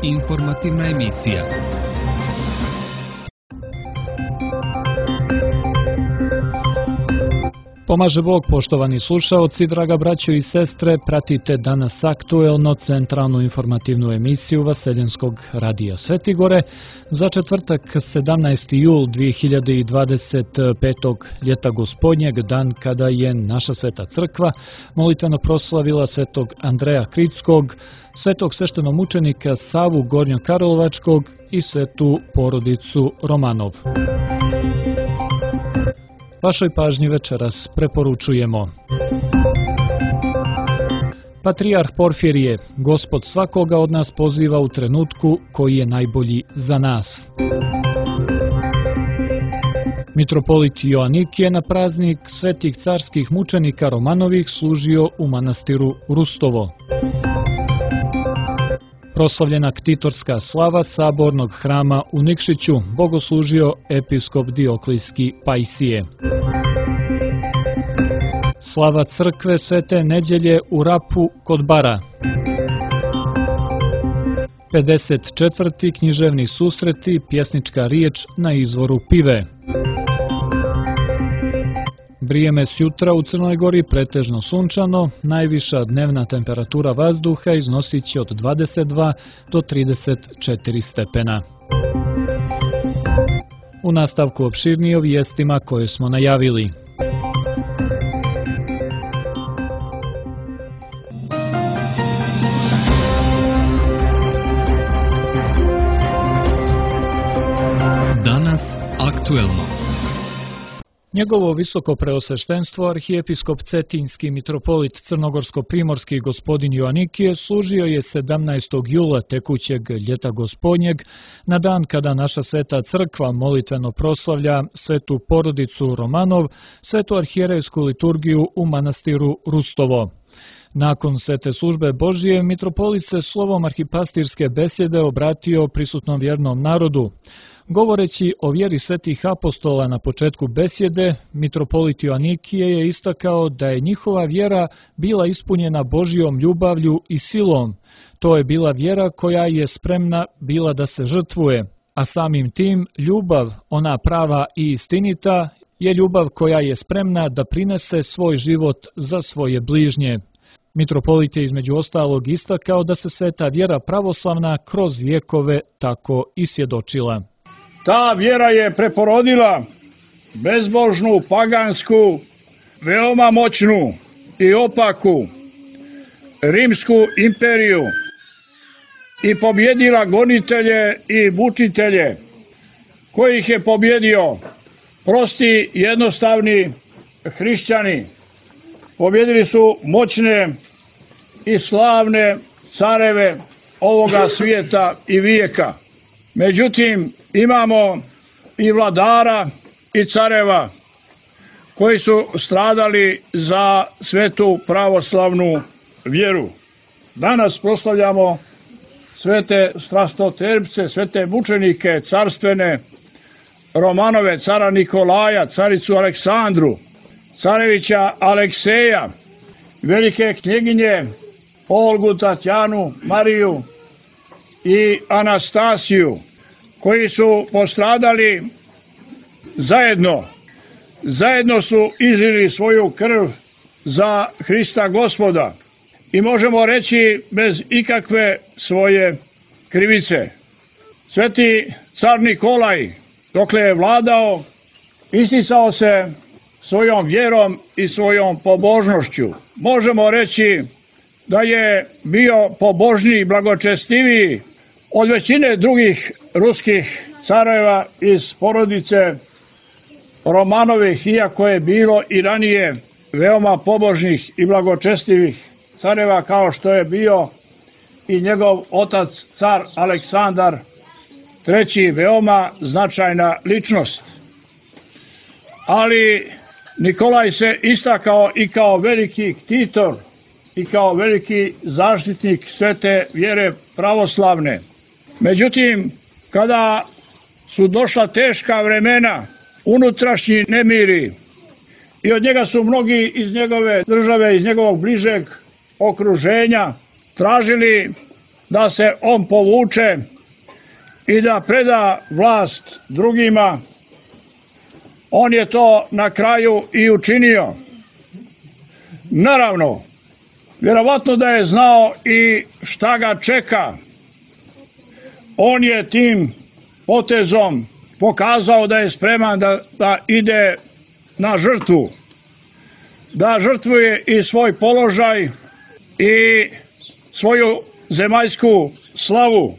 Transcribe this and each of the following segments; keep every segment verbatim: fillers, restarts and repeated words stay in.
Informativna emisija. Pomaže Bog, poštovani slušaoci, draga braćo i sestre, pratite danas aktuelno centralnu informativnu emisiju Vaseljenskog radija Svetigore za četvrtak sedamnaesti jul dve hiljade dvadeset petog ljeta gospodnjeg, dan kada je naša sveta crkva molitveno proslavila svetog Andreja Kritskog, svetog sveštenomučenika Savu Gornjokarlovačkog i svetu porodicu Romanov. Vašoj pažnji večeras preporučujemo: Patrijarh Porfirije, Gospod svakoga od nas poziva u trenutku koji je najbolji za nas. Mitropolit Joanikije na praznik svetih carskih mučenika Romanovih služio u manastiru Rustovo. Proslavljena ktitorska slava sabornog hrama u Nikšiću bogoslužio episkop Dioklijski Pajsije. Slava crkve Svete Nedjelje u Rapu kod Bara. pedeset četvrti književni susreti, pjesnička riječ na izvoru Pive. Vrijeme s jutra u Crnoj Gori pretežno sunčano, najviša dnevna temperatura vazduha iznosit će od dvadeset dva do trideset četiri stepena. U nastavku opširnije o vijestima koje smo najavili. Danas aktuelno. Njegovo visoko preosveštenstvo, arhijepiskop Cetinski mitropolit Crnogorsko-primorski gospodin Joanikije služio je sedamnaestog jula tekućeg ljeta gospodnjeg, na dan kada naša sveta crkva molitveno proslavlja svetu porodicu Romanov, svetu arhijerejsku liturgiju u manastiru Rustovo. Nakon svete službe Božije, mitropolit se slovom arhipastirske besjede obratio prisutnom vjernom narodu. Govoreći o vjeri svetih apostola na početku besjede, mitropolit Joanikije je istakao da je njihova vjera bila ispunjena Božjom ljubavlju i silom. To je bila vjera koja je spremna bila da se žrtvuje, a samim tim ljubav, ona prava i istinita, je ljubav koja je spremna da prinese svoj život za svoje bližnje. Mitropolit je između ostalog istakao da se sveta vjera pravoslavna kroz vjekove tako i svjedočila. Ta vjera je preporodila bezbožnu, pagansku, veoma moćnu i opaku rimsku imperiju i pobjedila gonitelje i mučitelje, kojih je pobjedio prosti, jednostavni hrišćani. Pobjedili su moćne i slavne careve ovoga svijeta i vijeka. Međutim, imamo i vladara i careva koji su stradali za svetu pravoslavnu vjeru. Danas proslavljamo svete strastoterpce, svete mučenike carstvene Romanove, cara Nikolaja, caricu Aleksandru, carevića Alekseja, velike knjeginje Olgu, Tatjanu, Mariju i Anastasiju, koji su postradali zajedno. Zajedno su izlili svoju krv za Hrista Gospoda i možemo reći bez ikakve svoje krivice. Sveti car Nikolaj, dokle je vladao, isticao se svojom vjerom i svojom pobožnošću. Možemo reći da je bio pobožniji i blagočestiviji od većine drugih ruskih careva iz porodice Romanovih, iako je bilo i ranije veoma pobožnih i blagočestivih careva, kao što je bio i njegov otac car Aleksandar treći, veoma značajna ličnost. Ali Nikolaj se istakao i kao veliki ktitor i kao veliki zaštitnik svete vjere pravoslavne. Međutim, kada su došla teška vremena, unutrašnji nemiri, i od njega su mnogi iz njegove države, iz njegovog bližeg okruženja tražili da se on povuče i da preda vlast drugima, on je to na kraju i učinio. Naravno, vjerovatno da je znao i šta ga čeka. On je tim potezom pokazao da je spreman da, da ide na žrtvu, da žrtvuje i svoj položaj i svoju zemaljsku slavu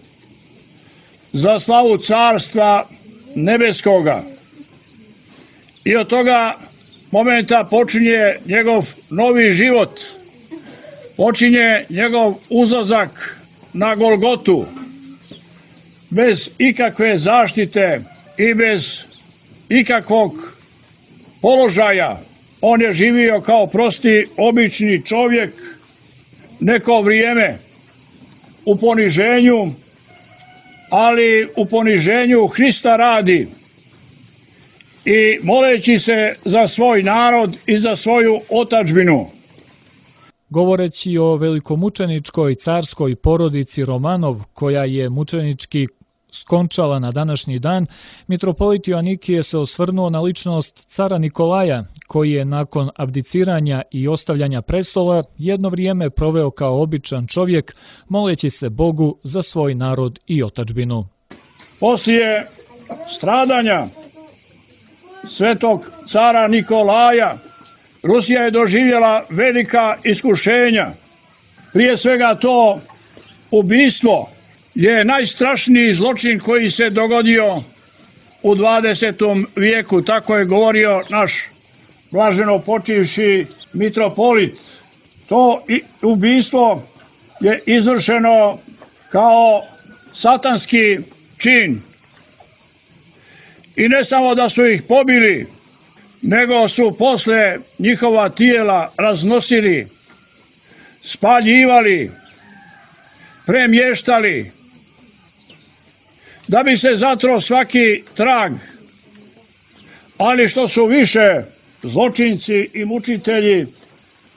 za slavu carstva nebeskoga. I od toga momenta počinje njegov novi život, počinje njegov uzlazak na Golgotu, bez ikakve zaštite i bez ikakvog položaja. On je živio kao prosti, obični čovjek neko vrijeme u poniženju, ali u poniženju Hrista radi i moleći se za svoj narod i za svoju otadžbinu. Govoreći o velikomučeničkoj carskoj porodici Romanov, koja je mučenički skončala na današnji dan, mitropolit Joanikije se osvrnuo na ličnost cara Nikolaja, koji je nakon abdiciranja i ostavljanja prestola jedno vrijeme proveo kao običan čovjek, moleći se Bogu za svoj narod i otadžbinu. Poslije stradanja svetog cara Nikolaja, Rusija je doživjela velika iskušenja. Prije svega to ubistvo je najstrašniji zločin koji se dogodio u dvadesetom vijeku. Tako je govorio naš blaženo počivši mitropolit. To ubistvo je izvršeno kao satanski čin. I ne samo da su ih pobili, nego su posle njihova tijela raznosili, spaljivali, premještali, da bi se zatro svaki trag. Ali što su više zločinci i mučitelji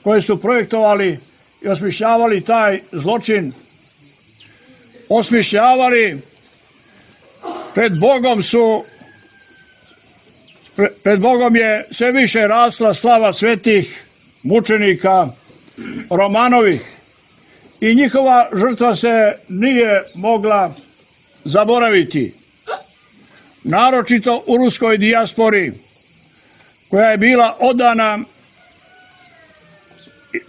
koji su projektovali i osmišljavali taj zločin, osmišljavali, pred Bogom su Pred Bogom je sve više rasla slava svetih mučenika Romanovih i njihova žrtva se nije mogla zaboraviti. Naročito u ruskoj dijaspori, koja je bila odana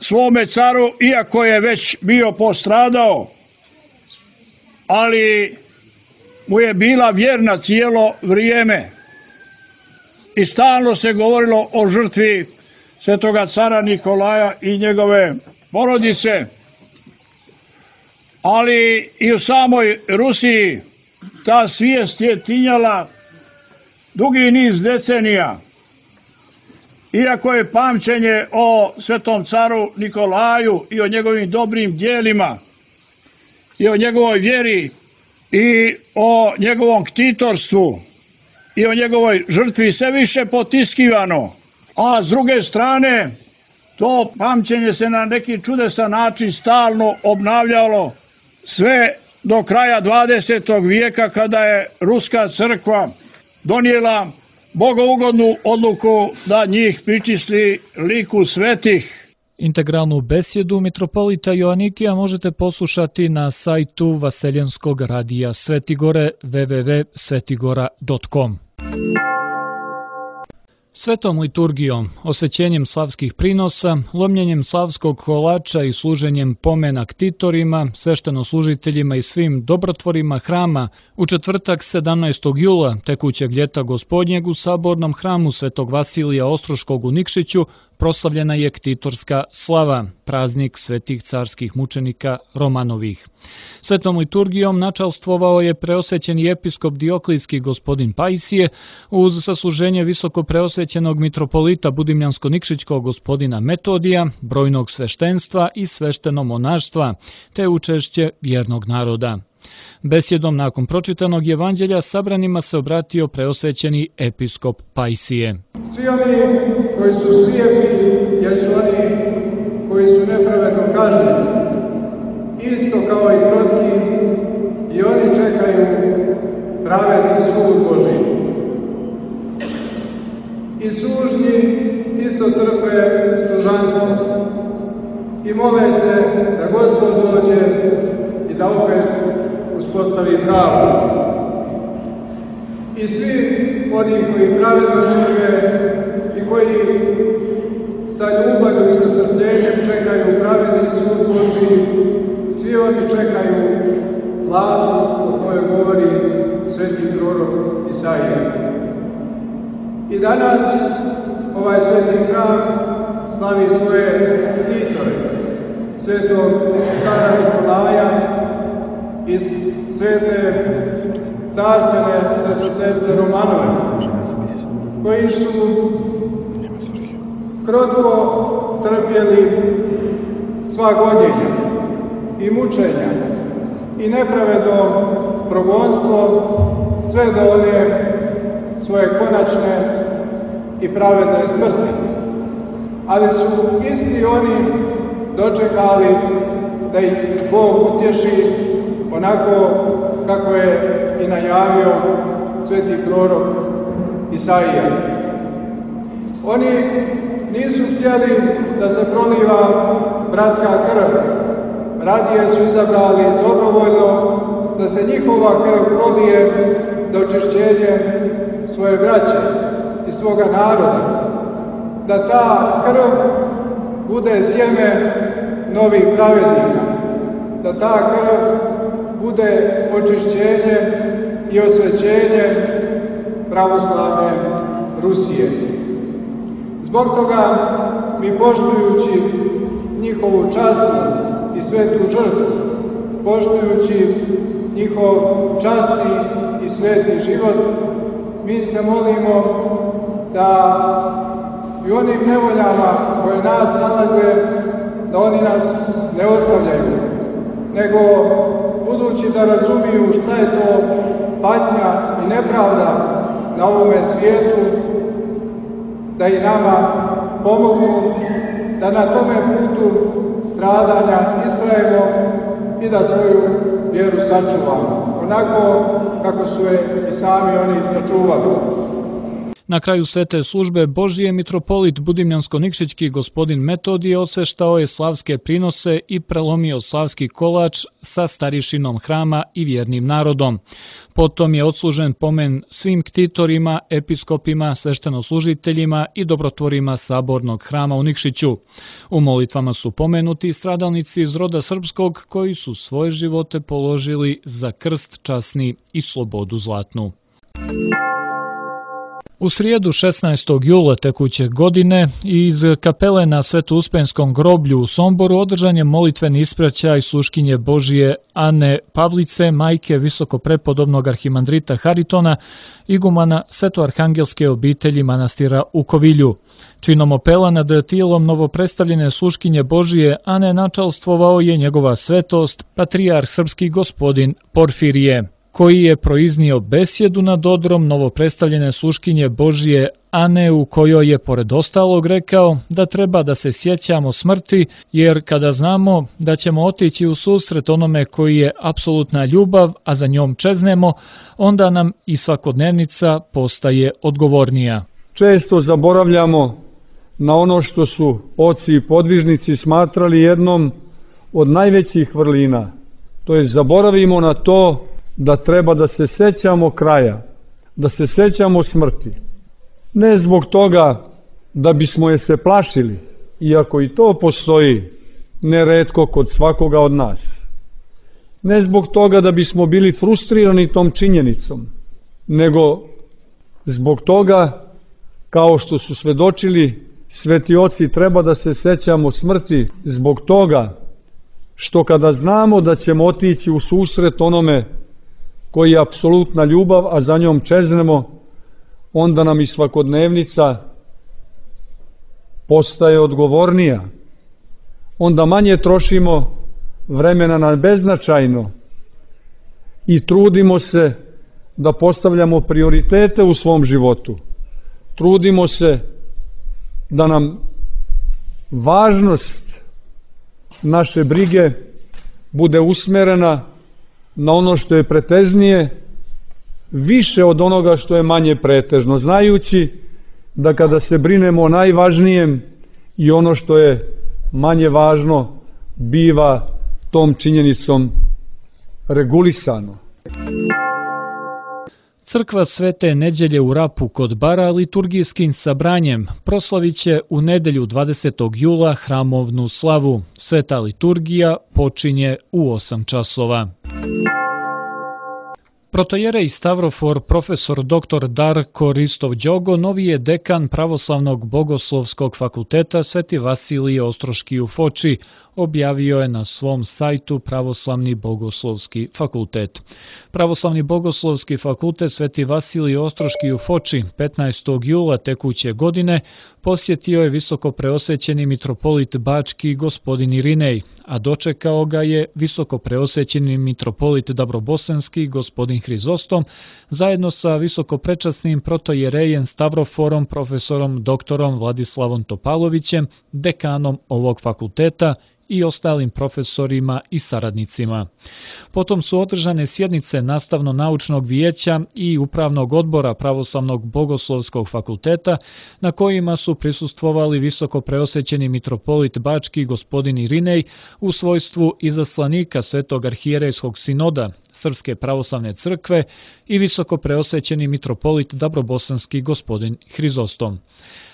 svome caru, iako je već bio postradao, ali mu je bila vjerna cijelo vrijeme. I stalno se govorilo o žrtvi svetoga cara Nikolaja i njegove porodice. Ali i u samoj Rusiji ta svijest je tinjala dugi niz decenija. Iako je pamćenje o svetom caru Nikolaju i o njegovim dobrim djelima i o njegovoj vjeri i o njegovom ktitorstvu i o njegovoj žrtvi sve više potiskivano, a s druge strane to pamćenje se na neki čudesan način stalno obnavljalo sve do kraja dvadesetog vijeka, kada je Ruska crkva donijela bogougodnu odluku da njih pričisli liku svetih. Integralnu besjedu mitropolita Joanikija možete poslušati na sajtu Vaseljenskog radija Svetigore w w w tačka svetigora tačka com. Svetom liturgijom, osvećenjem slavskih prinosa, lomljenjem slavskog kolača i služenjem pomena ktitorima, sveštenoslужiteljima i svim dobrotvorima hrama u četvrtak sedamnaestog jula tekućeg ljeta gospodnjeg u sabornom hramu Svetog Vasilija Ostroškog u Nikšiću proslavljena je ktitorska slava, praznik svetih carskih mučenika Romanovih. Svetom liturgijom načalstvovao je preosvećeni episkop Dioklijski gospodin Pajsije uz sasluženje visoko preosvećenog mitropolita Budimljansko-Nikšićkog gospodina Metodija, brojnog sveštenstva i svešteno monaštva, te učešće vjernog naroda. Besjedom nakon pročitanog evanđelja sabranima se obratio preosvećeni episkop Pajsije. Svi oni koji su slijepi, jesu oni koji su nepravedno kažnjeni. isto kao i krotki, i oni čekaju pravedni sud Božji. I sužnji isto trpe služanstvo i mole se da Gospod dođe i da opet uspostavi pravdu. I svi oni koji pravedno žive i koji sa ljubavlju i sa srđenjem čekaju pravedni sud Božji, svi oni čekaju vladu o kojoj govori sveti prorok Isaija. I danas ovaj sveti hram slavi svoje titore, svetog cara Nikolaja i svete starcene sestre Romanove, koji su krotko trpjeli sva godinja i mučenja i nepravedno progonstvo sve do one svoje konačne i pravedne smrti. Ali su isti oni dočekali da ih Bog utješi onako kako je i najavio sveti prorok Isaija. Oni nisu htjeli da se proliva bratska krv, radije su izabrali dobrovoljno da se njihova krv prolije za očišćenje svoje braće i svoga naroda, da ta krv bude sjeme novih pravednika, da ta krv bude očišćenje i osvećenje pravoslavne Rusije. Zbog toga mi, poštujući njihovu časnu i svetu žrtvu, poštujući njihov časni i sveti život, mi se molimo da i onim nevoljama koje nas nalaze, da oni nas ne ostavljaju, nego budući da razumiju šta je to patnja i nepravda na ovome svijetu, da i nama pomogu da na tome putu stradanja istrajemo i da svoju vjeru sačuvamo, onako kako su je i sami oni sačuvali. Na kraju svete službe Božije mitropolit Budimljansko-Nikšićki gospodin Metodije osveštao je slavske prinose i prelomio slavski kolač sa starišinom hrama i vjernim narodom. Potom je odslužen pomen svim ktitorima, episkopima, sveštenoslužiteljima i dobrotvorima sabornog hrama u Nikšiću. U molitvama su pomenuti stradalnici iz roda srpskog koji su svoje živote položili za krst časni i slobodu zlatnu. U srijedu šesnaestog jula tekuće godine iz kapele na Sveto-Uspenskom groblju u Somboru održan je molitveni ispraćaj sluškinje Božije Ane Pavlice, majke visokoprepodobnog arhimandrita Haritona, igumana Svetoarhangelske obitelji manastira u Kovilju. Činom opela nad tijelom novopredstavljene sluškinje Božije Ane načalstvovao je njegova svetost, patrijarh srpski gospodin Porfirije, koji je proiznio besjedu nad odrom novopredstavljene sluškinje Božije Ane, u kojoj je pored ostalog rekao da treba da se sjećamo smrti, jer kada znamo da ćemo otići u susret onome koji je apsolutna ljubav, a za njom čeznemo, onda nam i svakodnevnica postaje odgovornija. Često zaboravljamo na ono što su oci i podvižnici smatrali jednom od najvećih vrlina. To je, zaboravimo na to da treba da se sećamo kraja, da se sećamo smrti. Ne zbog toga da bismo je se plašili, iako i to postoji neretko kod svakoga od nas. Ne zbog toga da bismo bili frustrirani tom činjenicom, nego zbog toga, kao što su svedočili sveti oci, treba da se sećamo smrti zbog toga što kada znamo da ćemo otići u susret onome koji je apsolutna ljubav, a za njom čeznemo, onda nam i svakodnevnica postaje odgovornija. Onda manje trošimo vremena na beznačajno i trudimo se da postavljamo prioritete u svom životu. Trudimo se da nam važnost naše brige bude usmjerena na ono što je pretežnije, više od onoga što je manje pretežno, znajući da kada se brinemo o najvažnijem i ono što je manje važno biva tom činjenicom regulisano. Crkva Svete Neđelje u Rapu kod Bara liturgijskim sabranjem proslavit će u nedjelju dvadesetog jula hramovnu slavu. Sveta liturgija počinje u osam časova. Protojerej Stavrofor profesor doktor Darko Ristov Đogo novi je dekan Pravoslavnog bogoslovskog fakulteta Sveti Vasilije Ostroški u Foči, objavio je na svom sajtu Pravoslavni bogoslovski fakultet. Pravoslavni bogoslovski fakultet Sveti Vasilije Ostroški u Foči petnaestog jula tekuće godine posjetio je visoko preosvećeni mitropolit Bački gospodin Irinej, a dočekao ga je visoko preosvećeni mitropolit Dabrobosanski gospodin Hrizostom zajedno sa visoko prečasnim protojerejem Stavroforom profesorom doktorom Vladislavom Topalovićem, dekanom ovog fakulteta i ostalim profesorima i saradnicima. Potom su održane sjednice Nastavno-naučnog vijeća i Upravnog odbora Pravoslavnog bogoslovskog fakulteta, na kojima su prisustvovali visoko preosvećeni mitropolit Bački gospodin Irinej u svojstvu izaslanika Svetog arhijerejskog sinoda Srpske pravoslavne crkve i visoko preosvećeni mitropolit Dabrobosanski gospodin Hrizostom.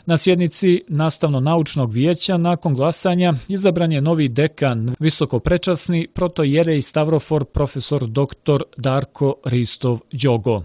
Na sjednici Nastavno-naučnog vijeća nakon glasanja izabran je novi dekan, visokoprečasni protojerej Stavrofor profesor doktor Darko Ristov Đogo.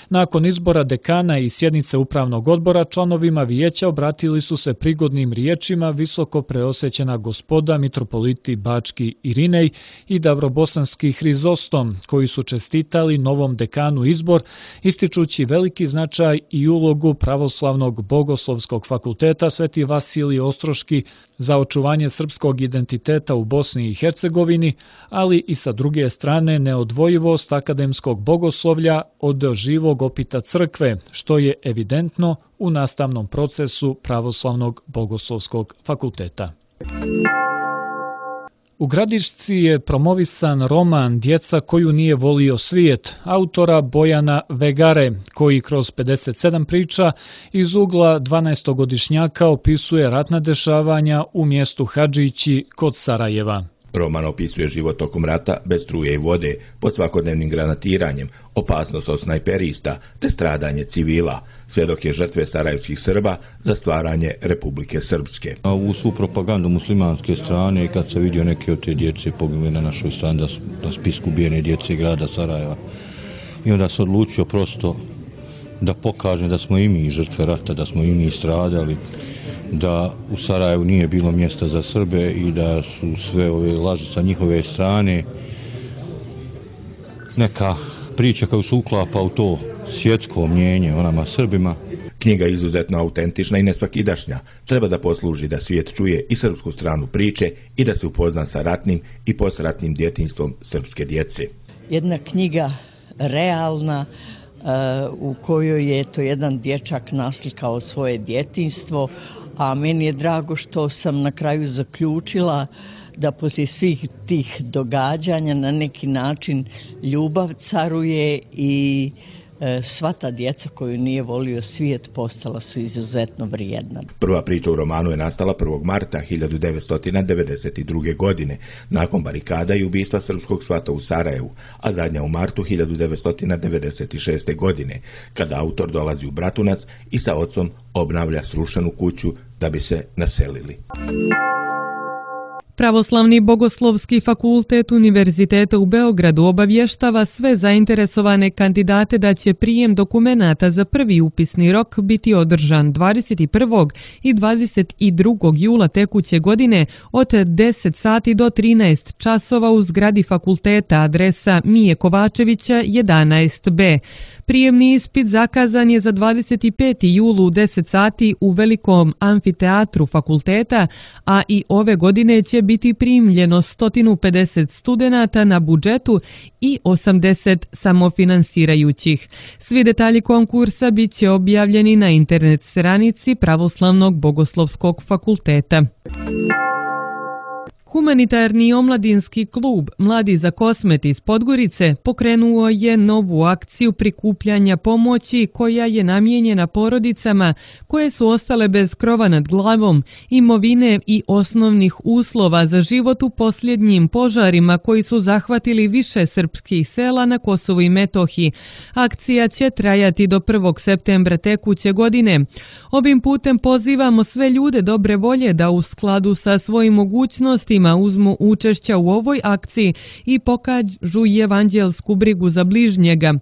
Nakon izbora dekana i sjednice upravnog odbora članovima vijeća obratili su se prigodnim riječima visoko preosvećena gospoda mitropoliti Bački Irinej i Dabrobosanski Hrizostom, koji su čestitali novom dekanu izbor, ističući veliki značaj i ulogu Pravoslavnog bogoslovskog fakulteta Sveti Vasilije Ostroški za očuvanje srpskog identiteta u Bosni i Hercegovini, ali i sa druge strane neodvojivost akademskog bogoslovlja od živog opita crkve, što je evidentno u nastavnom procesu Pravoslavnog bogoslovskog fakulteta. U Gradišci je promovisan roman Djeca koju nije volio svijet, autora Bojana Vegare, koji kroz pedeset sedam priča iz ugla dvanaestogodišnjaka opisuje ratna dešavanja u mjestu Hadžići kod Sarajeva. Roman opisuje život tokom rata bez struje i vode, pod svakodnevnim granatiranjem, opasnost od snajperista te stradanje civila, sve dok je žrtve sarajevskih Srba za stvaranje Republike Srpske. U svu propagandu muslimanske strane, kad se vidio neke od te djece poginule na našoj strani, da, da spisku ubijene djece grada Sarajeva, i onda se odlučio prosto da pokaže da smo i mi žrtve rata, da smo i mi stradali, da u Sarajevu nije bilo mjesta za Srbe i da su sve ove laži sa njihove strane neka priča koja se uklapa u to svjetsko mnjenje o nama Srbima. Knjiga je izuzetno autentična i nesvakidašnja. Treba da posluži da svijet čuje i srpsku stranu priče i da se upozna sa ratnim i posratnim djetinjstvom srpske djece. Jedna knjiga realna uh, u kojoj je to jedan dječak naslikao svoje djetinjstvo, a meni je drago što sam na kraju zaključila da poslije svih tih događanja na neki način ljubav caruje i e, sva ta djeca koju nije volio svijet postala su izuzetno vrijedna. Prva priča u romanu je nastala prvog marta hiljadu devetsto devedeset druge. godine, nakon barikada i ubistva srpskog svata u Sarajevu, a zadnja u martu hiljadu devetsto devedeset šeste. godine, kada autor dolazi u Bratunac i sa ocom obnavlja srušenu kuću da bi se naselili. Pravoslavni bogoslovski fakultet Univerziteta u Beogradu obavještava sve zainteresovane kandidate da će prijem dokumenata za prvi upisni rok biti održan dvadeset prvog i dvadeset drugog jula tekuće godine od deset sati do trinaest časova u zgradi fakulteta, adresa Mije Kovačevića jedanaest B. Prijemni ispit zakazan je za dvadeset peti jul u deset sati u velikom amfiteatru fakulteta, a i ove godine će biti primljeno sto pedeset studenata na budžetu i osamdeset samofinansirajućih. Svi detalji konkursa bit će objavljeni na internet stranici Pravoslavnog bogoslovskog fakulteta. Humanitarni omladinski klub Mladi za Kosmet iz Podgorice pokrenuo je novu akciju prikupljanja pomoći koja je namijenjena porodicama koje su ostale bez krova nad glavom, imovine i osnovnih uslova za život u posljednjim požarima koji su zahvatili više srpskih sela na Kosovu i Metohiji. Akcija će trajati do prvog septembra tekuće godine. Ovim putem pozivamo sve ljude dobre volje da u skladu sa svojim mogućnostima uzmu učešća u ovoj akciji i pokažu evanđelsku brigu za bližnjega.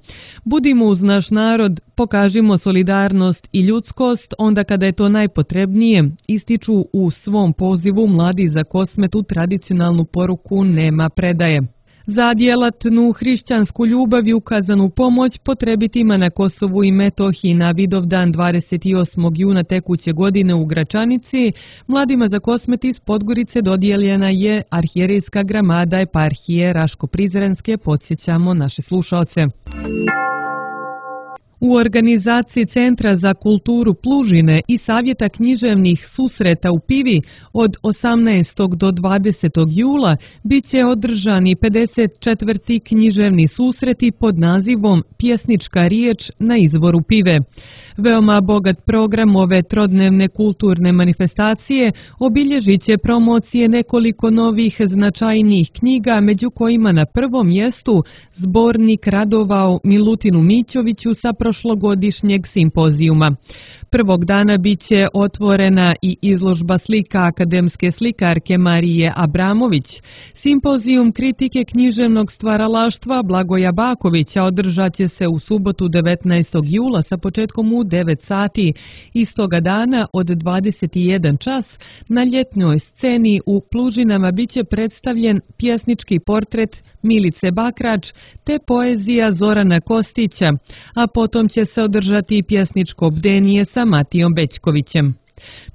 Budimo uz naš narod, pokažimo solidarnost i ljudskost onda kada je to najpotrebnije, ističu u svom pozivu Mladi za Kosmet u tradicionalnu poruku nema predaje. Za djelatnu hrišćansku ljubav i ukazanu pomoć potrebitima na Kosovu i Metohiji na Vidovdan dvadeset osmog juna tekuće godine u Gračanici, Mladima za Kosmet iz Podgorice dodijeljena je arhijerejska gramada eparhije Raško-Prizrenske, podsjećamo naše slušaoce. U organizaciji Centra za kulturu Plužine i Savjeta književnih susreta u Pivi od osamnaestog do dvadesetog jula bit će održani pedeset četvrti književni susreti pod nazivom Pjesnička riječ na izvoru Pive. Veoma bogat program ove trodnevne kulturne manifestacije obilježit će promocije nekoliko novih značajnijih knjiga, među kojima na prvom mjestu zbornik radova o Milutinu Mićoviću sa prošlogodišnjeg simpozijuma. Prvog dana bit će otvorena i izložba slika akademske slikarke Marije Abramović. Simpozijum kritike književnog stvaralaštva Blagoja Bakovića održat će se u subotu devetnaestog jula sa početkom u devet sati. Istoga dana od dvadeset jedan čas na ljetnoj sceni u Plužinama bit će predstavljen pjesnički portret Milice Bakrač te poezija Zorana Kostića, a potom će se održati i pjesničko bdenije sa Matijom Bećkovićem.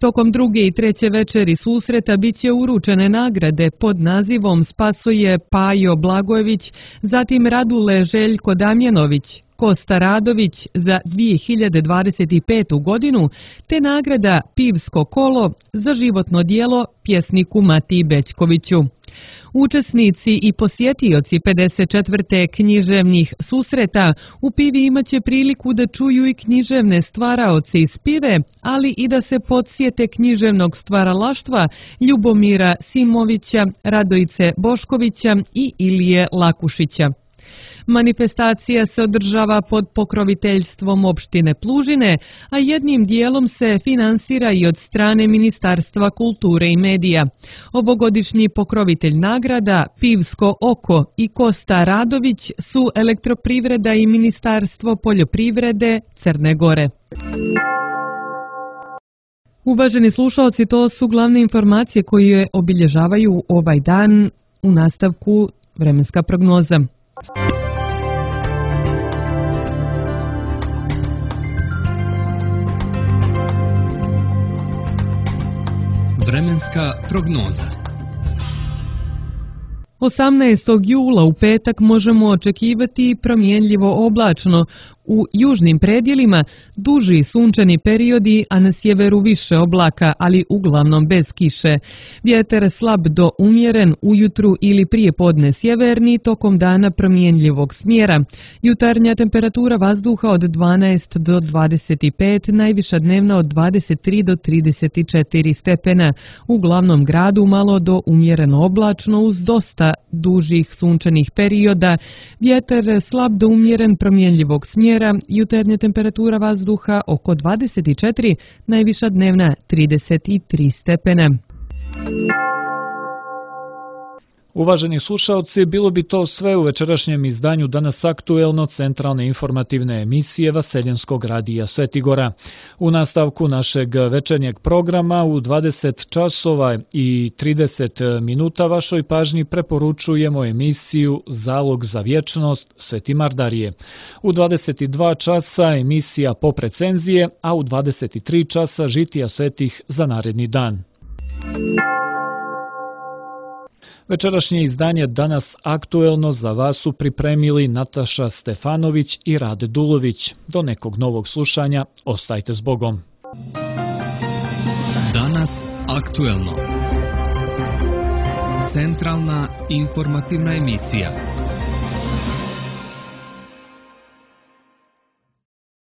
Tokom druge i treće večeri susreta bit će uručene nagrade pod nazivom Spasoje Pajo Blagojević, zatim Radule Željko Damjanović, Kosta Radović za dvije hiljade dvadeset petu godinu, te nagrada Pivsko kolo za životno djelo pjesniku Matiji Bećkoviću. Učesnici i posjetioci pedeset četvrte književnih susreta u Pivi imaće priliku da čuju i književne stvaraoce iz Pive, ali i da se podsjete književnog stvaralaštva Ljubomira Simovića, Radojice Boškovića i Ilije Lakušića. Manifestacija se održava pod pokroviteljstvom opštine Plužine, a jednim dijelom se finansira i od strane Ministarstva kulture i medija. Ovogodišnji pokrovitelj nagrada Pivsko oko i Kosta Radović su Elektroprivreda i Ministarstvo poljoprivrede Crne Gore. Uvaženi slušalci, to su glavne informacije koje obilježavaju ovaj dan. U nastavku vremenska prognoza. Vremenska prognoza. osamnaestog jula u petak možemo očekivati promjenljivo oblačno. U južnim predjelima duži sunčani periodi, a na sjeveru više oblaka, ali uglavnom bez kiše. Vjetar slab do umjeren ujutru ili prije podne sjeverni, tokom dana promjenljivog smjera. Jutarnja temperatura vazduha od dvanaest do dvadeset pet, najviša dnevna od dvadeset tri do trideset četiri stepena. U glavnom gradu malo do umjereno oblačno uz dosta dužih sunčanih perioda. Vjetar slab do umjeren promjenljivog smjera. Jutarnja temperatura vazduha oko dvadeset četiri, najviša dnevna trideset tri stepena. Uvaženi slušalci, bilo bi to sve u večerašnjem izdanju Danas aktuelno centralne informativne emisije Vaseljenskog radija Svetigora. U nastavku našeg večernjeg programa u dvadeset časova i trideset minuta vašoj pažnji preporučujemo emisiju Zalog za vječnost Sveti Mardarije. U dvadeset dva časa emisija Pop recenzije, a u dvadeset tri časa žitija svetih za naredni dan. Večerašnje izdanje Danas aktuelno za vas su pripremili Nataša Stefanović i Rade Dulović. Do nekog novog slušanja, ostajte s Bogom. Danas aktuelno. centralna informativna emisija.